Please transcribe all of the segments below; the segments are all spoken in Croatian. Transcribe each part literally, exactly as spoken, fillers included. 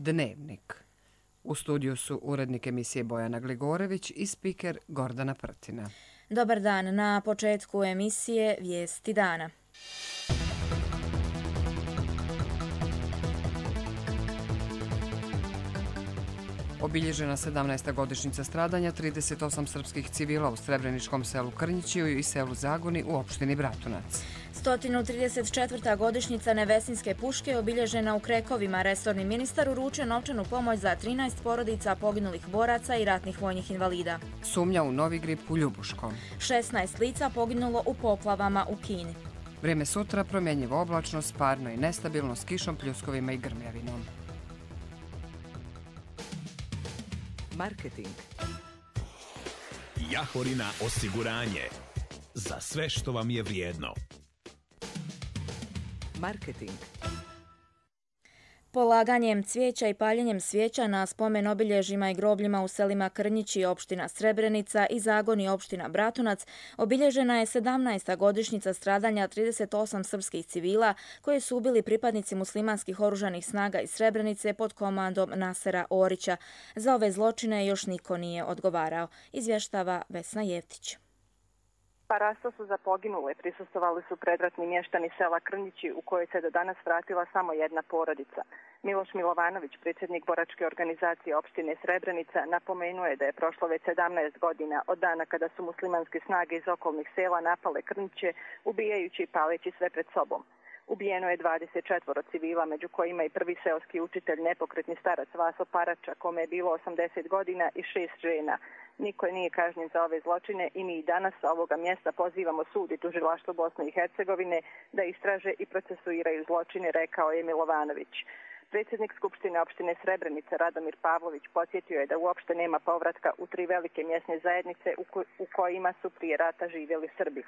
Dnevnik. U studiju su urednik emisije Bojana Gligorević i spiker Gordana Prtina. Dobar dan, na početku emisije Vijesti dana. Obilježena sedamnaesta godišnjica stradanja trideset osam srpskih civila u srebreničkom selu Krnjićiju i selu Zagoni u opštini Bratunac. sto trideset četvrta godišnjica Nevesinjske puške obilježena u Krekovima. Resorni ministar uručio novčanu pomoć za trinaest porodica poginulih boraca i ratnih vojnih invalida. Sumnja u novi grip u Ljubuškom. šesnaest lica poginulo u poplavama u Kini. Vrijeme sutra promjenjivo oblačno, parno i nestabilno s kišom, pljuskovima i grmljavinom. Marketing. Jahorina osiguranje. Za sve što vam je vrijedno. Marketing. Polaganjem cvijeća i paljenjem svijeća na spomen obilježjima i grobljima u selima Krnjići, opština Srebrenica i Zagoni, opština Bratunac, obilježena je sedamnaesta godišnjica stradanja trideset osam srpskih civila koje su ubili pripadnici muslimanskih oružanih snaga iz Srebrenice pod komandom Nasera Orića. Za ove zločine još niko nije odgovarao, izvještava Vesna Jevtić. Parastosu za poginule prisustvovali su predratni mještani sela Krnjići u kojoj se do danas vratila samo jedna porodica. Miloš Milovanović, predsjednik boračke organizacije opštine Srebrenica, napomenuo je da je prošlo već sedamnaest godina od dana kada su muslimanske snage iz okolnih sela napale Krnjiće, ubijajući i paleći sve pred sobom. Ubijeno je dvadeset četvoro civila, među kojima i prvi seoski učitelj, nepokretni starac Vaso Parača, kome je bilo osamdeset godina, i šest žena. Niko nije kažnjen za ove zločine i mi i danas sa ovoga mjesta pozivamo sud i tužilaštvo Bosne i Hercegovine da istraže i procesuiraju zločine, rekao je Milovanović. Predsjednik Skupštine opštine Srebrenica Radomir Pavlović podsjetio je da uopšte nema povratka u tri velike mjesne zajednice u, ko- u kojima su prije rata živjeli Srbi.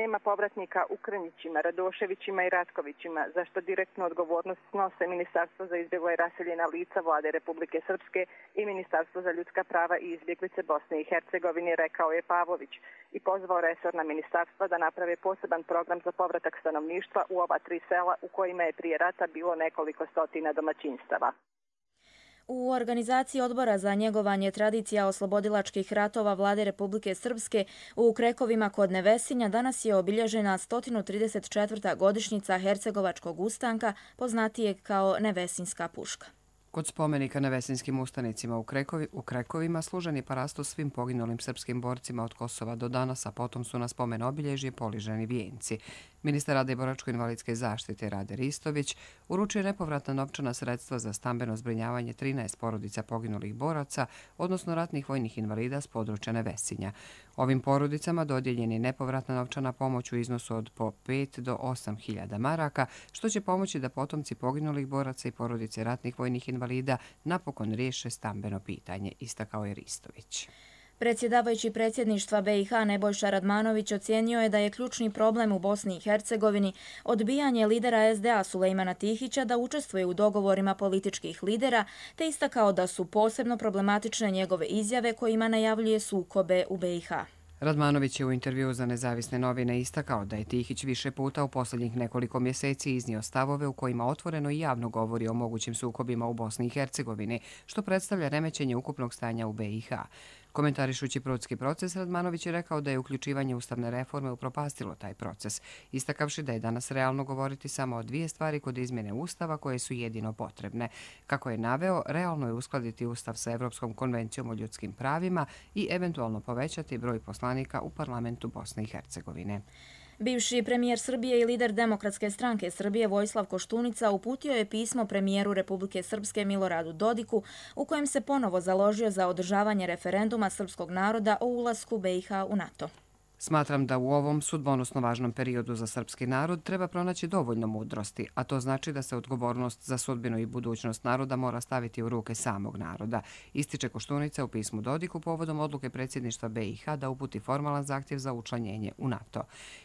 Nema povratnika u Krnjićima, Radoševićima i Ratkovićima, za što direktnu odgovornost snose Ministarstvo za izbjegla i raseljena lica Vlade Republike Srpske i Ministarstvo za ljudska prava i izbjeglice Bosne i Hercegovine, rekao je Pavlović, i pozvao resorna ministarstva da naprave poseban program za povratak stanovništva u ova tri sela u kojima je prije rata bilo nekoliko stotina domaćinstava. U organizaciji Odbora za njegovanje tradicija oslobodilačkih ratova Vlade Republike Srpske u Krekovima kod Nevesinja danas je obilježena sto trideset četvrta godišnjica Hercegovačkog ustanka, poznatijeg kao Nevesinjska puška. Kod spomenika Nevesinjskim ustanicima u, Krekovi, u Krekovima služen je parastos svim poginulim srpskim borcima od Kosova do danas, a potom su na spomen obilježje poliženi vijenci. Ministar rada i boračko-invalidske zaštite Rade Ristović uručio nepovratna novčana sredstva za stambeno zbrinjavanje trinaest porodica poginulih boraca, odnosno ratnih vojnih invalida s područja Nevesinja. Ovim porodicama dodijeljen je nepovratna novčana pomoć u iznosu od po pet do osam hiljada maraka, što će pomoći da potomci poginulih boraca i porodice ratnih vojnih invalida napokon riješe stambeno pitanje, istakao je Ristović. Predsjedavajući predsjedništva B i H Nebojša Radmanović ocijenio je da je ključni problem u Bosni i Hercegovini odbijanje lidera S D A Sulejmana Tihića da učestvuje u dogovorima političkih lidera, te istakao da su posebno problematične njegove izjave kojima najavljuje sukobe u B i H. Radmanović je u intervjuu za Nezavisne novine istakao da je Tihić više puta u posljednjih nekoliko mjeseci iznio stavove u kojima otvoreno i javno govori o mogućim sukobima u Bosni i Hercegovini, što predstavlja remećenje ukupnog stanja u B i H. Komentarišući prudski proces, Radmanović je rekao da je uključivanje ustavne reforme upropastilo taj proces, istakavši da je danas realno govoriti samo o dvije stvari kod izmjene ustava koje su jedino potrebne. Kako je naveo, realno je uskladiti ustav sa Evropskom konvencijom o ljudskim pravima i eventualno povećati broj poslanika u parlamentu Bosne i Hercegovine. Bivši premijer Srbije i lider Demokratske stranke Srbije Vojislav Koštunica uputio je pismo premijeru Republike Srpske Miloradu Dodiku u kojem se ponovo založio za održavanje referenduma srpskog naroda o ulasku B i H u NATO. Smatram da u ovom sudbonosno važnom periodu za srpski narod treba pronaći dovoljno mudrosti, a to znači da se odgovornost za sudbinu i budućnost naroda mora staviti u ruke samog naroda, ističe Koštunica u pismu Dodiku povodom odluke predsjedništva B i H da uputi formalan zahtjev za učlanjenje u NATO.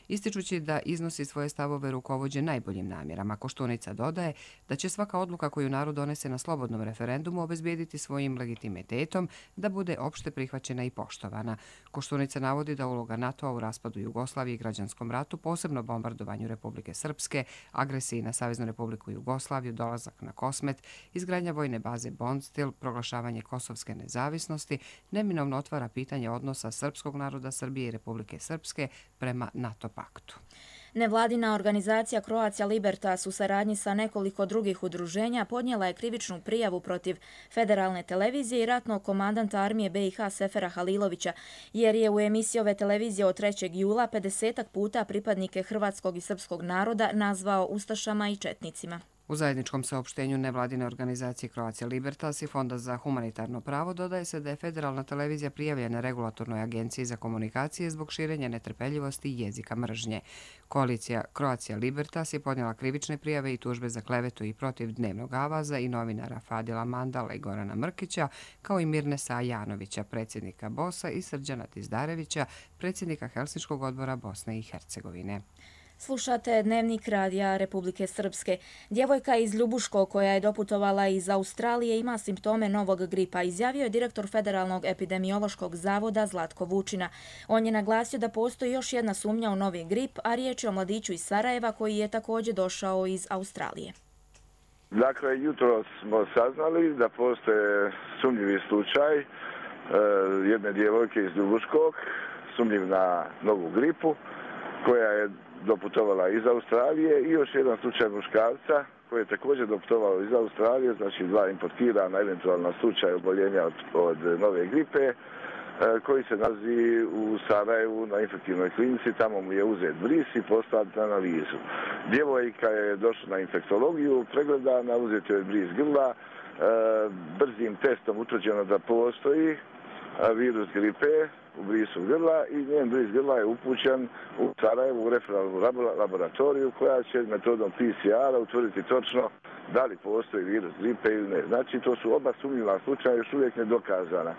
Ističući da iznosi svoje stavove rukovođe najboljim namjerama, Koštunica dodaje da će svaka odluka koju narod donese na slobodnom referendumu obezbijediti svojim legitimitetom da bude opšte prihvaćena i poštovana. Koštunica navodi da uloga NATO učestvovao u raspadu Jugoslavije i građanskom ratu, posebno bombardovanju Republike Srpske, agresiji na Saveznu Republiku Jugoslaviju, dolazak na Kosmet, izgradnja vojne baze Bondstil, proglašavanje kosovske nezavisnosti, neminovno otvara pitanje odnosa srpskog naroda Srbije i Republike Srpske prema NATO paktu. Nevladina organizacija Croatia Libertas u saradnji sa nekoliko drugih udruženja podnijela je krivičnu prijavu protiv federalne televizije i ratnog komandanta armije be i ha Sefera Halilovića, jer je u emisiji ove televizije od trećeg jula pedesetak puta pripadnike hrvatskog i srpskog naroda nazvao ustašama i četnicima. U zajedničkom saopštenju nevladine organizacije Croatia Libertas i Fonda za humanitarno pravo dodaje se da je federalna televizija prijavljena Regulatornoj agenciji za komunikacije zbog širenja netrpeljivosti i jezika mržnje. Koalicija Croatia Libertas je podnijela krivične prijave i tužbe za klevetu i protiv Dnevnog avaza i novinara Fadila Mandala i Gorana Mrkića, kao i Mirnesa Ajanovića, predsjednika bosa, i Srđana Tizdarevića, predsjednika Helsinškog odbora Bosne i Hercegovine. Slušate Dnevnik radija Republike Srpske. Djevojka iz Ljubuško koja je doputovala iz Australije ima simptome novog gripa, izjavio je direktor Federalnog epidemiološkog zavoda Zlatko Vučina. On je naglasio da postoji još jedna sumnja u novi grip, a riječ je o mladiću iz Sarajeva koji je također došao iz Australije. Dakle, jutro smo saznali da postoje sumnjivi slučaj e, jedne djevojke iz Ljubuškog, sumnjiv na novu gripu, koja je doputovala iz Australije, i još jedan slučaj muškarca koji je također doputovao iz Australije, znači dva importirana eventualna slučaja oboljenja od, od nove gripe, e, koji se nalazi u Sarajevu na infektivnoj klinici. Tamo mu je uzet bris i poslat na analizu. Djevojka je došla na infektologiju, pregledana, uzet je bris grla, e, brzim testom utvrđeno da postoji virus gripe u brisu grla i njen bris grla je upućen u Sarajevu u referalnu laboratoriju koja će metodom pe ce ara utvrditi točno da li postoji virus gripe ili ne. Znači, to su oba sumnjiva slučaja još uvijek nedokazana.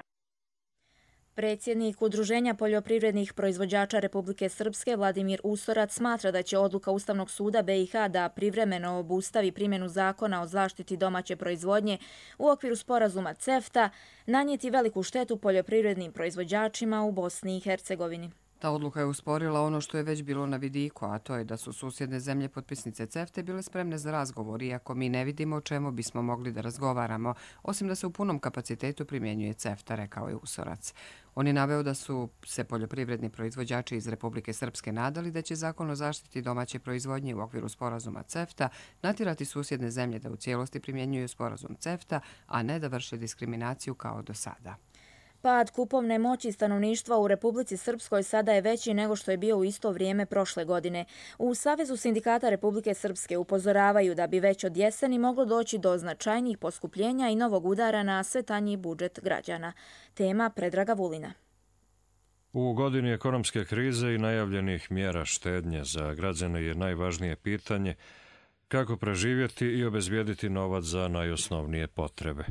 Predsjednik Udruženja poljoprivrednih proizvođača Republike Srpske Vladimir Usorac smatra da će odluka Ustavnog suda be i ha da privremeno obustavi primjenu zakona o zaštiti domaće proizvodnje u okviru sporazuma CEFTA nanijeti veliku štetu poljoprivrednim proizvođačima u Bosni i Hercegovini. Ta odluka je usporila ono što je već bilo na vidiku, a to je da su susjedne zemlje potpisnice CEFTA bile spremne za razgovor, iako mi ne vidimo o čemu bismo mogli da razgovaramo, osim da se u punom kapacitetu primjenjuje CEFTA, rekao je Usorac. On je naveo da su se poljoprivredni proizvođači iz Republike Srpske nadali da će zakon o zaštiti domaće proizvodnje u okviru sporazuma CEFTA natjerati susjedne zemlje da u cijelosti primjenjuju sporazum CEFTA, a ne da vrše diskriminaciju kao do sada. Pad kupovne moći stanovništva u Republici Srpskoj sada je veći nego što je bio u isto vrijeme prošle godine. U Savezu sindikata Republike Srpske upozoravaju da bi već od jeseni moglo doći do značajnijih poskupljenja i novog udara na sve tanji budžet građana. Tema Predraga Vulina. U godini ekonomske krize i najavljenih mjera štednje za građane je najvažnije pitanje kako preživjeti i obezbijediti novac za najosnovnije potrebe.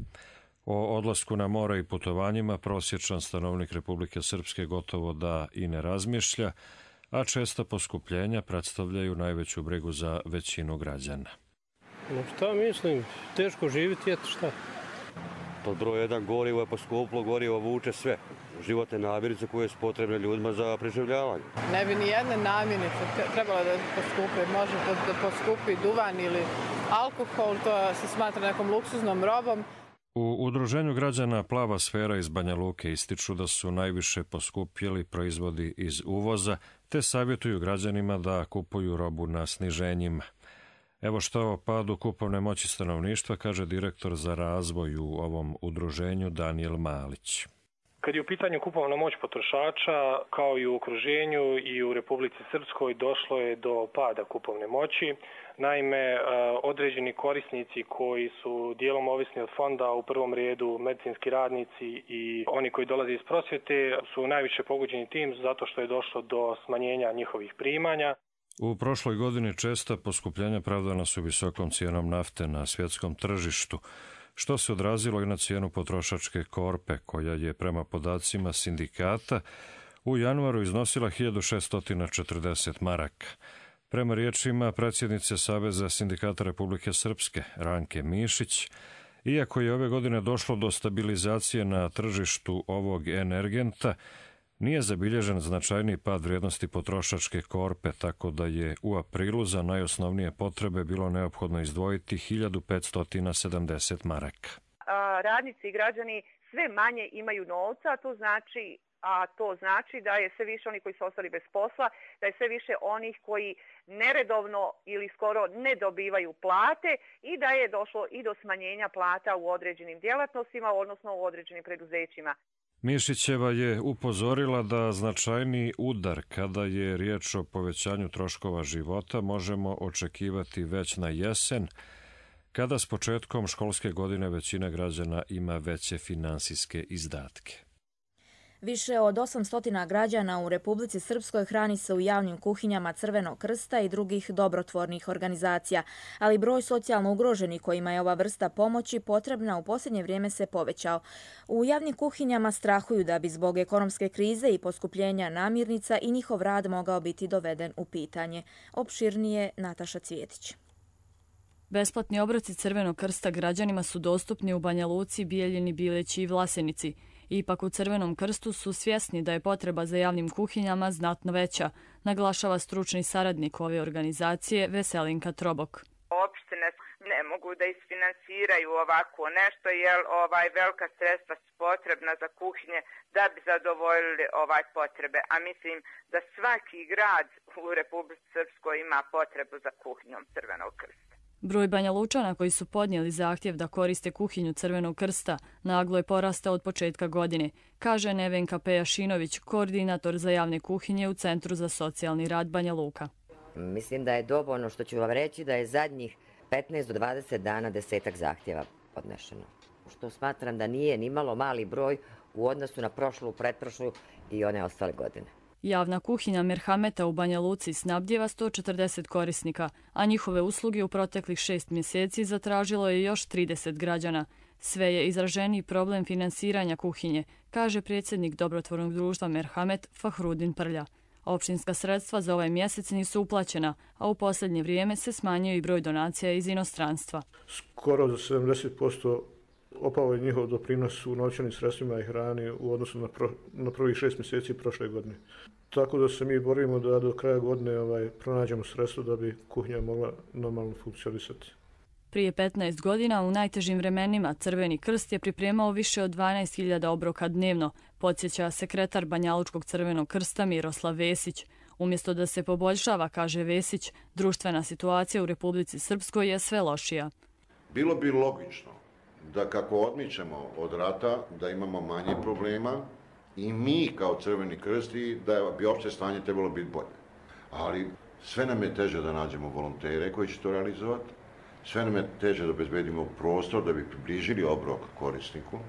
O odlasku na more i putovanjima prosječan stanovnik Republike Srpske gotovo da i ne razmišlja, a česta poskupljenja predstavljaju najveću brigu za većinu građana. No šta mislim, teško živjeti, eto šta. Pod broj jedan gorivo je poskuplo, gorivo vuče sve. Životne namirnice koje su potrebne ljudima za preživljavanje. Ne bi ni jedne namirnice trebalo da poskupi. Može da poskupi duvan ili alkohol, to se smatra nekom luksuznom robom. U Udruženju građana Plava sfera iz Banja Luke ističu da su najviše poskupjeli proizvodi iz uvoza, te savjetuju građanima da kupuju robu na sniženjima. Evo što o padu kupovne moći stanovništva kaže direktor za razvoj u ovom udruženju Danijel Malić. Kad je u pitanju kupovna moć potrošača, kao i u okruženju i u Republici Srpskoj, došlo je do pada kupovne moći. Naime, određeni korisnici koji su dijelom ovisni od fonda, u prvom redu medicinski radnici i oni koji dolaze iz prosvjete, su najviše pogođeni tim zato što je došlo do smanjenja njihovih primanja. U prošloj godini česta poskupljenja pravdana su visokom cijenom nafte na svjetskom tržištu, što se odrazilo i na cijenu potrošačke korpe, koja je prema podacima sindikata u januaru iznosila hiljadu šesto četrdeset maraka. Prema riječima predsjednice Saveza sindikata Republike Srpske, Ranke Mišić, iako je ove godine došlo do stabilizacije na tržištu ovog energenta, Nije zabilježen značajni pad vrijednosti potrošačke korpe, tako da je u aprilu za najosnovnije potrebe bilo neophodno izdvojiti hiljadu petsto sedamdeset maraka. Radnici i građani sve manje imaju novca, a to znači a to znači da je sve više onih koji su ostali bez posla, da je sve više onih koji neredovno ili skoro ne dobivaju plate i da je došlo i do smanjenja plata u određenim djelatnostima, odnosno u određenim preduzećima. Mišićeva je upozorila da značajni udar kada je riječ o povećanju troškova života možemo očekivati već na jesen, kada s početkom školske godine većina građana ima veće finansijske izdatke. Više od osamsto građana u Republici Srpskoj hrani se u javnim kuhinjama Crvenog krsta i drugih dobrotvornih organizacija, ali broj socijalno ugroženih kojima je ova vrsta pomoći potrebna u posljednje vrijeme se povećao. U javnim kuhinjama strahuju da bi zbog ekonomske krize i poskupljenja namirnica i njihov rad mogao biti doveden u pitanje. Opširnije Nataša Cvjetić. Besplatni obroci Crvenog krsta građanima su dostupni u Banja Luci, Bijeljini, Bileći i Vlasenici. Ipak u Crvenom krstu su svjesni da je potreba za javnim kuhinjama znatno veća, naglašava stručni saradnik ove organizacije Veselinka Trobok. Opštine ne mogu da isfinansiraju ovako nešto jer ovaj velika sredstva su potrebna za kuhinje da bi zadovoljili ovaj potrebe. A mislim da svaki grad u Republici Srpskoj ima potrebu za kuhinjom Crvenog krsta. Broj Banja Lučana koji su podnijeli zahtjev da koriste kuhinju Crvenog krsta naglo je porastao od početka godine, kaže Nevenka Pejašinović, koordinator za javne kuhinje u Centru za socijalni rad Banja Luka. Mislim da je dovoljno što ću vam reći da je zadnjih petnaest do dvadeset dana desetak zahtjeva podnešeno. Što smatram da nije ni malo mali broj u odnosu na prošlu, pretprošlu i one ostale godine. Javna kuhinja Merhameta u Banja Luci snabdjeva sto četrdeset korisnika, a njihove usluge u proteklih šest mjeseci zatražilo je još trideset građana. Sve je izraženiji problem finansiranja kuhinje, kaže predsjednik dobrotvornog društva Merhamet Fahrudin Prlja. Općinska sredstva za ovaj mjesec nisu uplaćena, a u posljednje vrijeme se smanjio i broj donacija iz inostranstva. Skoro za sedamdeset posto opao je njihov doprinos u novčanim sredstvima i hrani u odnosu na, pro, na prvih šest mjeseci prošle godine. Tako da se mi borimo da do kraja godine ovaj, pronađemo sredstvo da bi kuhinja mogla normalno funkcionisati. Prije petnaest godina u najtežim vremenima Crveni krst je pripremao više od dvanaest hiljada obroka dnevno, podsjeća sekretar Banjalučkog Crvenog krsta Miroslav Vesić. Umjesto da se poboljšava, kaže Vesić, društvena situacija u Republici Srpskoj je sve lošija. Bilo bi logično da kako odmičemo od rata, da imamo manje problema i mi kao Crveni krst i da bi opće stanje trebalo biti bolje. Ali sve nam je teže da nađemo volontere koji će to realizovati, sve nam je teže da obezbedimo prostor da bi približili obrok korisniku.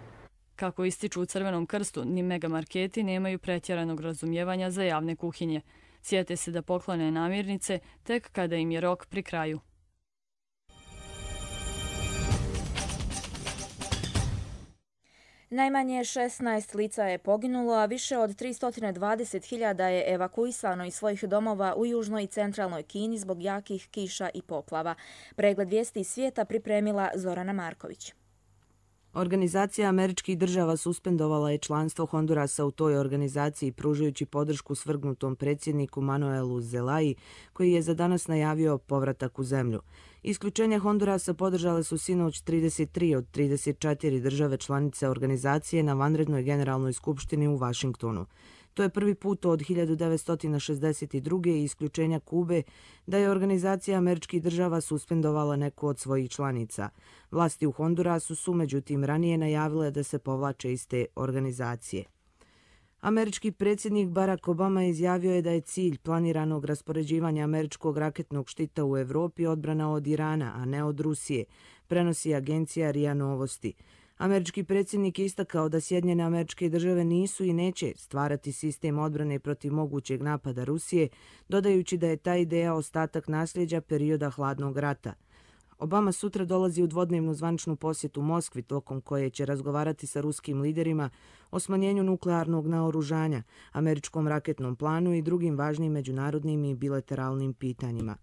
Kako ističu u Crvenom krstu, ni megamarketi nemaju pretjeranog razumijevanja za javne kuhinje. Sjete se da poklone namirnice tek kada im je rok pri kraju. Najmanje šesnaest lica je poginulo, a više od tristo dvadeset hiljada je evakuisano iz svojih domova u južnoj i centralnoj Kini zbog jakih kiša i poplava. Pregled vijesti iz svijeta pripremila Zorana Marković. Organizacija američkih država suspendovala je članstvo Hondurasa u toj organizaciji pružajući podršku svrgnutom predsjedniku Manuelu Zelayi, koji je za danas najavio povratak u zemlju. Isključenje Hondurasa podržale su sinoć trideset tri od trideset četiri države članice organizacije na vanrednoj generalnoj skupštini u Vašingtonu. To je prvi put od hiljadu devetsto šezdeset druge i isključenja Kube da je organizacija američkih država suspendovala neku od svojih članica. Vlasti u Hondurasu su međutim ranije najavile da se povlače iz te organizacije. Američki predsjednik Barack Obama izjavio je da je cilj planiranog raspoređivanja američkog raketnog štita u Evropi odbrana od Irana, a ne od Rusije, prenosi agencija R I A Novosti. Američki predsjednik je istakao da Sjedinjene Američke Države nisu i neće stvarati sistem odbrane protiv mogućeg napada Rusije, dodajući da je ta ideja ostatak nasljeđa perioda hladnog rata. Obama sutra dolazi u dvodnevnu zvaničnu posjetu Moskvi, tokom koje će razgovarati sa ruskim liderima o smanjenju nuklearnog naoružanja, američkom raketnom planu i drugim važnim međunarodnim i bilateralnim pitanjima.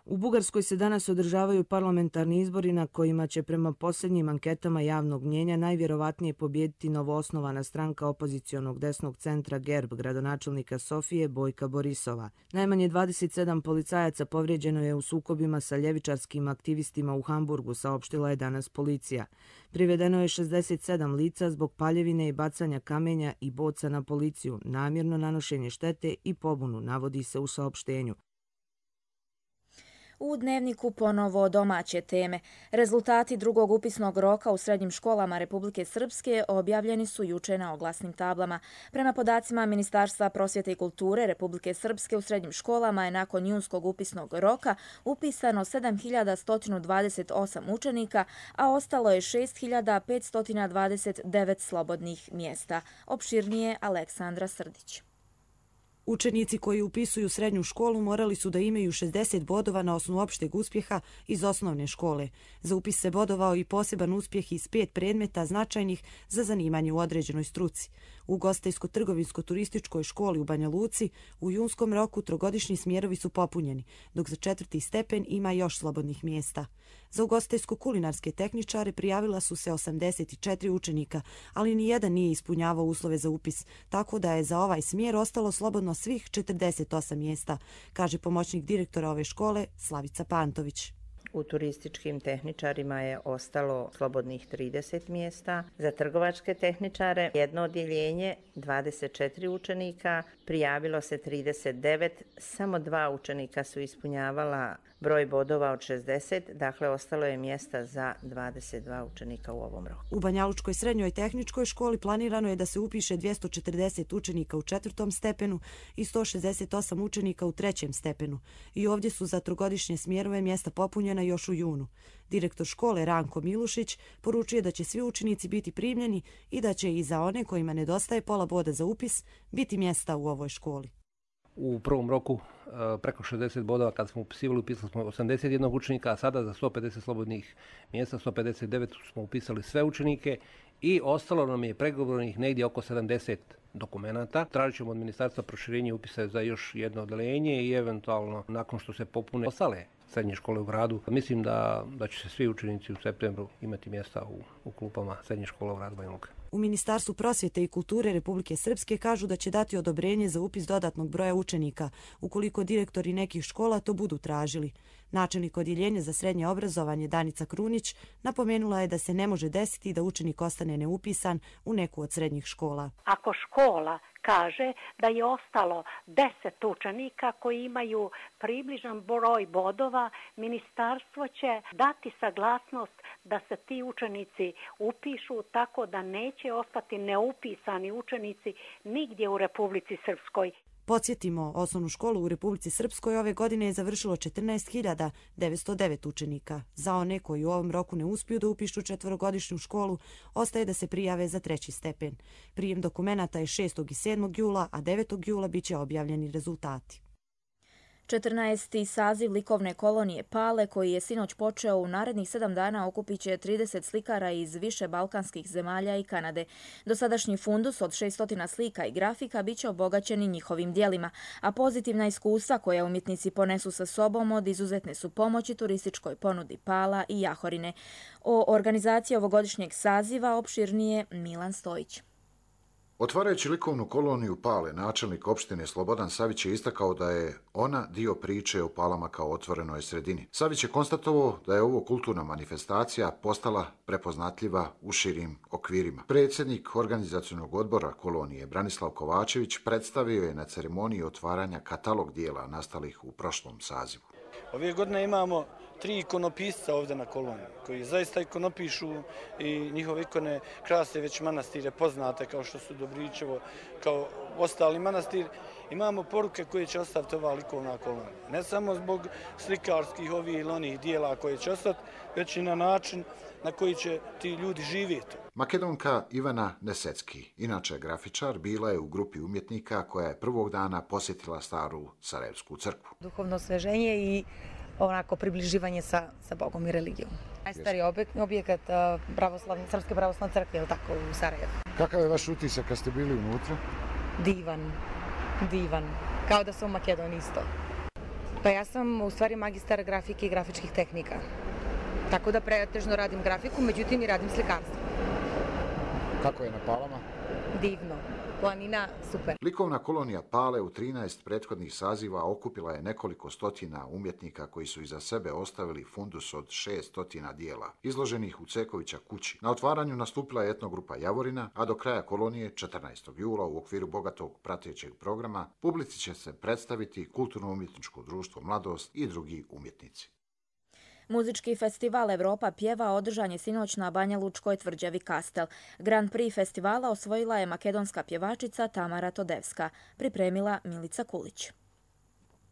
U Bugarskoj se danas održavaju parlamentarni izbori na kojima će prema posljednjim anketama javnog mnjenja najvjerovatnije pobijediti novoosnovana stranka opozicionog desnog centra Gerb, gradonačelnika Sofije Bojka Borisova. Najmanje dvadeset sedam policajaca povrijeđeno je u sukobima sa ljevičarskim aktivistima u Hamburgu, saopštila je danas policija. Privedeno je šezdeset sedam lica zbog paljevine i bacanja kamenja i boca na policiju, namjerno nanošenje štete i pobunu, navodi se u saopštenju. U Dnevniku ponovo domaće teme. Rezultati drugog upisnog roka u srednjim školama Republike Srpske objavljeni su juče na oglasnim tablama. Prema podacima Ministarstva prosvjete i kulture Republike Srpske u srednjim školama je nakon junskog upisnog roka upisano sedam hiljada sto dvadeset osam učenika, a ostalo je šest hiljada petsto dvadeset devet slobodnih mjesta. Opširnije Aleksandra Srdić. Učenici koji upisuju srednju školu morali su da imaju šezdeset bodova na osnovu opšteg uspjeha iz osnovne škole. Za upis se bodovao i poseban uspjeh iz pet predmeta značajnih za zanimanje u određenoj struci. U Ugostiteljsko-trgovinsko-turističkoj školi u Banja Luci u junskom roku trogodišnji smjerovi su popunjeni, dok za četvrti stepen ima još slobodnih mjesta. Za ugostiteljsko-kulinarske tehničare prijavila su se osamdeset četiri učenika, ali nijedan nije ispunjavao uslove za upis, tako da je za ovaj smjer ostalo slobodno svih četrdeset osam mjesta, kaže pomoćnik direktora ove škole Slavica Pantović. U turističkim tehničarima je ostalo slobodnih trideset mjesta. Za trgovačke tehničare jedno odjeljenje, dvadeset četiri učenika, prijavilo se trideset devet, samo dva učenika su ispunjavala broj bodova od šezdeset, dakle ostalo je mjesta za dvadeset dva učenika u ovom roku. U Banjalučkoj srednjoj tehničkoj školi planirano je da se upiše dvjesto četrdeset učenika u četvrtom stepenu i sto šezdeset osam učenika u trećem stepenu. I ovdje su za trogodišnje smjerove mjesta popunjena još u junu. Direktor škole Ranko Milušić poručuje da će svi učenici biti primljeni i da će i za one kojima nedostaje pola boda za upis biti mjesta u ovoj školi. U prvom roku preko šezdeset bodova kad smo upisivali, upisali smo osamdeset jedan učenika, a sada za sto pedeset slobodnih mjesta, sto pedeset devet smo upisali sve učenike i ostalo nam je pregovornih negdje oko sedamdeset dokumenata. Tražit ćemo od ministarstva proširenje upisa za još jedno odeljenje i eventualno nakon što se popune ostale srednje škole u gradu. Mislim da, da će se svi učenici u septembru imati mjesta u, u klupama srednje škole u gradu Banja Luka. U Ministarstvu prosvjete i kulture Republike Srpske kažu da će dati odobrenje za upis dodatnog broja učenika, ukoliko direktori nekih škola to budu tražili. Načelnik odjeljenja za srednje obrazovanje Danica Krunić napomenula je da se ne može desiti da učenik ostane neupisan u neku od srednjih škola. Ako škola kaže da je ostalo deset učenika koji imaju približan broj bodova, ministarstvo će dati saglasnost da se ti učenici upišu tako da neće ostati neupisani učenici nigdje u Republici Srpskoj. Podsjetimo, osnovnu školu u Republici Srpskoj ove godine je završilo četrnaest hiljada devetsto devet učenika. Za one koji u ovom roku ne uspiju da upišu četvorogodišnju školu, ostaje da se prijave za treći stepen. Prijem dokumenata je šestog i sedmog jula, a devetog jula bit će objavljeni rezultati. četrnaesti saziv likovne kolonije Pale, koji je sinoć počeo u narednih sedam dana, okupit će trideset slikara iz više balkanskih zemalja i Kanade. Dosadašnji fundus od šesto slika i grafika bit će obogaćeni njihovim dijelima, a pozitivna iskustva koja umjetnici ponesu sa sobom od izuzetne su pomoći turističkoj ponudi Pala i Jahorine. O organizaciji ovogodišnjeg saziva opširnije Milan Stojić. Otvarajući likovnu koloniju Pale, načelnik opštine Slobodan Savić je istakao da je ona dio priče o Palama kao otvorenoj sredini. Savić je konstatovao da je ovo kulturna manifestacija postala prepoznatljiva u širim okvirima. Predsjednik organizacionog odbora kolonije Branislav Kovačević predstavio je na ceremoniji otvaranja katalog dijela nastalih u prošlom sazivu. Ove godine imamo tri ikonopisca ovdje na koloniji, koji zaista ikonopišu i njihove ikone krase već manastire poznate kao što su Dobričevo, kao ostali manastir. Imamo poruke koje će ostaviti ova likovna kolonija. Ne samo zbog slikarskih ovih ili onih dijela koje će ostati, već i na način na koji će ti ljudi živjeti. Makedonka Ivana Nesecki, inače grafičar, bila je u grupi umjetnika koja je prvog dana posjetila staru Sarajevsku crkvu. Duhovno osveženje i onako približivanje sa, sa Bogom i religijom. Najstariji objekat pravoslavne, Srpske pravoslavne crkve, je tako, u Sarajevu. Kakav je vaš utisak kad ste bili unutra? Divan, divan. Kao da sam u Makedoniji isto. Pa ja sam u stvari magistar grafike i grafičkih tehnika. Tako da pretežno radim grafiku, međutim i radim slikarstvo. Kako je na Palama? Divno. Planina, super. Likovna kolonija Pale u trinaest prethodnih saziva okupila je nekoliko stotina umjetnika koji su iza sebe ostavili fundus od šest stotina dijela, izloženih u Cekovića kući. Na otvaranju nastupila je etnogrupa Javorina, a do kraja kolonije, četrnaestog jula, u okviru bogatog pratećeg programa, publici će se predstaviti Kulturno-umjetničko društvo Mladost i drugi umjetnici. Muzički festival Evropa pjeva održan je sinoć na Banja Lučkoj tvrđavi Kastel. Grand Prix festivala osvojila je makedonska pjevačica Tamara Todevska, pripremila Milica Kulić.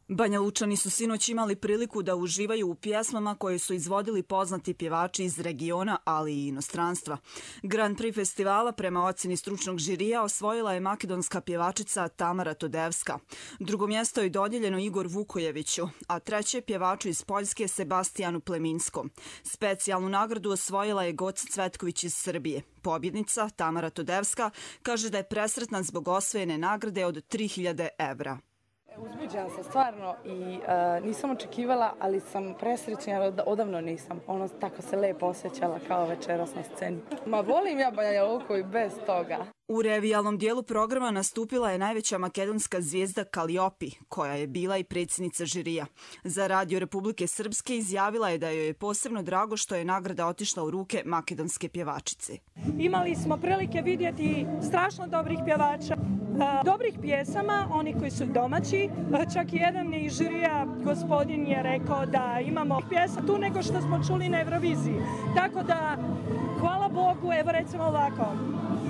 Banja Lučani su sinoć imali priliku da uživaju u pjesmama koje su izvodili poznati pjevači iz regiona, ali i inostranstva. Grand Prix festivala prema ocjeni stručnog žirija osvojila je makedonska pjevačica Tamara Todevska. Drugo mjesto je dodijeljeno Igor Vukojeviću, a treće pjevaču iz Poljske Sebastijanu Pleminskom. Specijalnu nagradu osvojila je Goca Cvetković iz Srbije. Pobjednica Tamara Todevska kaže da je presretna zbog osvojene nagrade od tri hiljade evra. Uzbuđena sam stvarno i uh, nisam očekivala, ali sam presrećna, jer odavno nisam. Ono, tako se lepo osjećala kao večeras na sceni. Ma volim ja Banja Luku i bez toga. U revijalnom dijelu programa nastupila je najveća makedonska zvijezda Kaliopi, koja je bila i predsjednica žirija. Za Radio Republike Srpske izjavila je da joj je posebno drago što je nagrada otišla u ruke makedonske pjevačice. Imali smo prilike vidjeti strašno dobrih pjevača, dobrih pjesama, oni koji su domaći. Čak i jedan iz žirija, gospodin, je rekao da imamo pjesa tu nego što smo čuli na Euroviziji. Tako da, hvala Bogu, evo recimo ovako.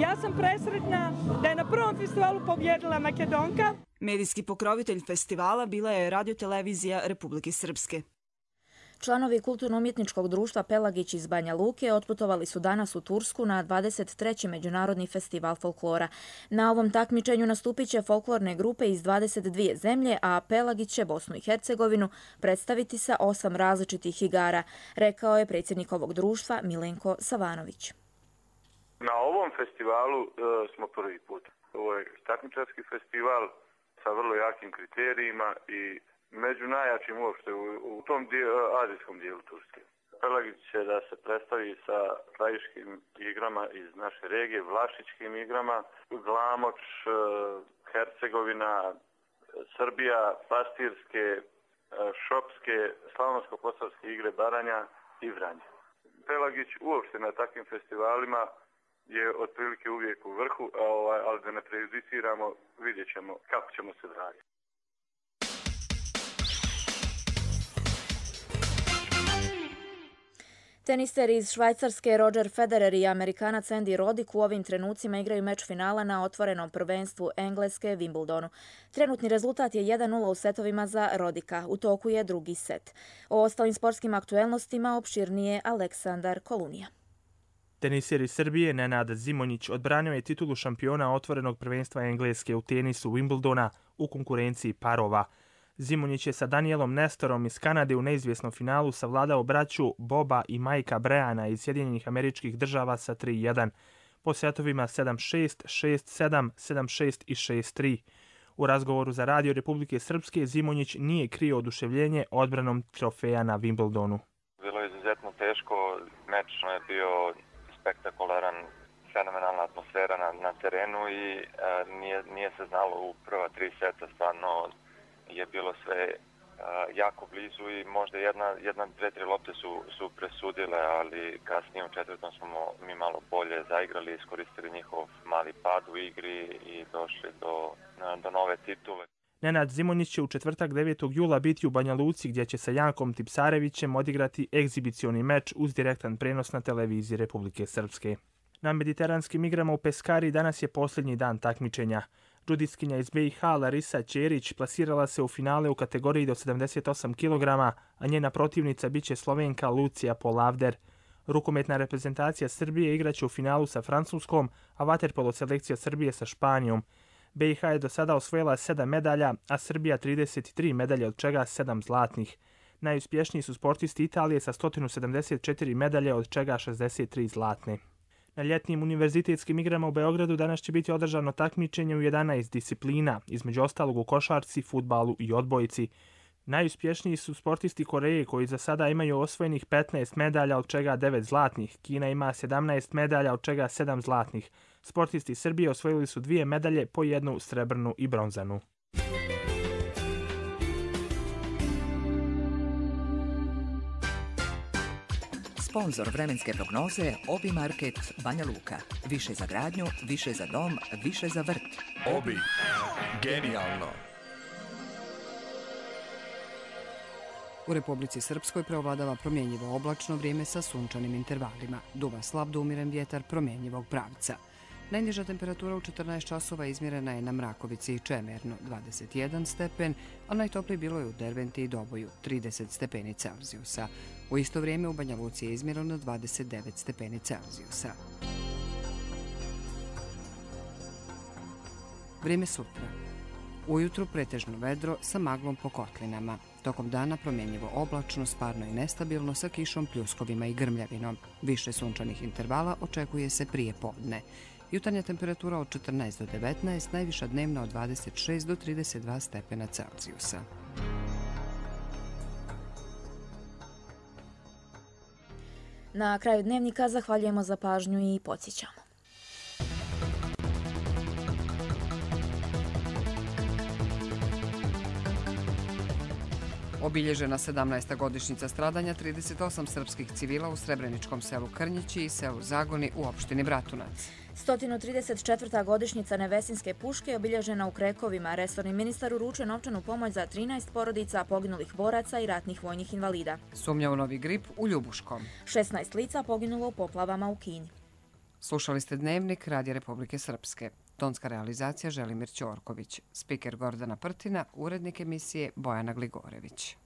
Ja sam presretna da je na prvom festivalu pobjedila Makedonka. Medijski pokrovitelj festivala bila je Radiotelevizija Republike Srpske. Članovi Kulturno-umjetničkog društva Pelagić iz Banja Luke otputovali su danas u Tursku na dvadeset treći Međunarodni festival folklora. Na ovom takmičenju nastupit će folklorne grupe iz dvadeset dvije zemlje, a Pelagić će Bosnu i Hercegovinu predstaviti sa osam različitih igara, rekao je predsjednik ovog društva Milenko Savanović. Na ovom festivalu e, smo prvi put. Ovo je takmičarski festival sa vrlo jakim kriterijima i među najjačim uopšte u, u tom dijelu, azijskom dijelu Turske. Pelagić će da se predstavi sa krajiškim igrama iz naše regije, vlašičkim igrama, Glamoč, Hercegovina, Srbija, pastirske, šopske, slavonsko-posavske igre Baranja i Vranje. Pelagić uopšte na takvim festivalima je otprilike uvijek u vrhu, ali da ne prejudiciramo, vidjet ćemo kako ćemo se raditi. Tenister iz Švajcarske Roger Federer i Amerikanac Andy Roddick u ovim trenucima igraju meč finala na otvorenom prvenstvu Engleske Wimbledonu. Trenutni rezultat je jedan nula u setovima za Roddicka. U toku je drugi set. O ostalim sportskim aktuelnostima opširnije Aleksandar Kolunija. Teniser iz Srbije Nenad Zimonjić odbranio je titulu šampiona otvorenog prvenstva Engleske u tenisu Wimbledona u konkurenciji parova. Zimonjić je sa Danielom Nestorom iz Kanade u neizvjesnom finalu savladao braću Boba i Majka Breana iz Sjedinjenih Američkih Država sa tri jedan. Po setovima sedam šest, šest sedam, sedam šest i šest tri. U razgovoru za Radio Republike Srpske Zimonjić nije krio oduševljenje odbranom trofeja na Wimbledonu. Bilo je izuzetno teško, meč je bio spektakularan, fenomenalna atmosfera na, na terenu i e, nije, nije se znalo u prva tri seta, stvarno je bilo sve e, jako blizu i možda jedna, jedna dve, tri lopte su, su presudile, ali kasnije u četvrtom smo mi malo bolje zaigrali, iskoristili njihov mali pad u igri i došli do, do nove titule. Nenad Zimonjić će u četvrtak devetog jula biti u Banja Luci gdje će sa Jankom Tipsarevićem odigrati egzibicioni meč uz direktan prenos na televiziji Republike Srpske. Na mediteranskim igrama u Peskari danas je posljednji dan takmičenja. Džudiskinja iz B i H Larisa Ćerić plasirala se u finale u kategoriji do sedamdeset osam kilograma, a njena protivnica biće Slovenka Lucija Polavder. Rukometna reprezentacija Srbije igraće u finalu sa Francuskom, a vaterpolo selekcija Srbije sa Španijom. B i H je do sada osvojila sedam medalja, a Srbija trideset tri medalje, od čega sedam zlatnih. Najuspješniji su sportisti Italije sa sto sedamdeset četiri medalje, od čega šezdeset tri zlatne. Na ljetnim univerzitetskim igrama u Beogradu danas će biti održano takmičenje u jedanaest disciplina, između ostalog u košarci, fudbalu i odbojci. Najuspješniji su sportisti Koreje koji za sada imaju osvojenih petnaest medalja, od čega devet zlatnih. Kina ima sedamnaest medalja, od čega sedam zlatnih. Sportisti Srbije osvojili su dvije medalje, po jednu srebrnu i bronzanu. Sponzor vremenske prognoze Obi Market Banja Luka. Više za gradnju, više za dom, više za vrt. Obi. Genijalno. U Republici Srpskoj preovladava promjenjivo oblačno vrijeme sa sunčanim intervalima. Duva slab do umiren vjetar promjenjivog pravca. Najniža temperatura u četrnaest časova izmjerena je na Mrakovici i Čemernu, dvadeset jedan stepen, a najtoplije bilo je u Derventi i Doboju, trideset stepeni Celzijusa. U isto vrijeme u Banja Luci je izmjereno dvadeset devet stepeni Celzijusa. Vrijeme sutra. Ujutru pretežno vedro sa maglom po kotlinama. Tokom dana promjenjivo oblačno, sparno i nestabilno sa kišom, pljuskovima i grmljavinom. Više sunčanih intervala očekuje se prije podne. Jutarnja temperatura od četrnaest do devetnaest, najviša dnevna od dvadeset šest do trideset dva stepena Celzijusa. Na kraju dnevnika zahvaljujemo za pažnju i podsjećamo. Obilježena sedamnaesta godišnjica stradanja trideset osam srpskih civila u srebreničkom selu Krnjići i selu Zagoni u opštini Bratunac. sto trideset četvrta godišnjica Nevesinske puške obilježena u Krekovima. Resorni ministar uručuje novčanu pomoć za trinaest porodica poginulih boraca i ratnih vojnih invalida. Sumnja u novi grip u Ljubuškom. šesnaest lica poginulo u poplavama u Kinji. Slušali ste Dnevnik Radija Republike Srpske. Tonska realizacija Želimir Ćorković. Spiker Gordana Prtina, urednik emisije Bojana Gligorević.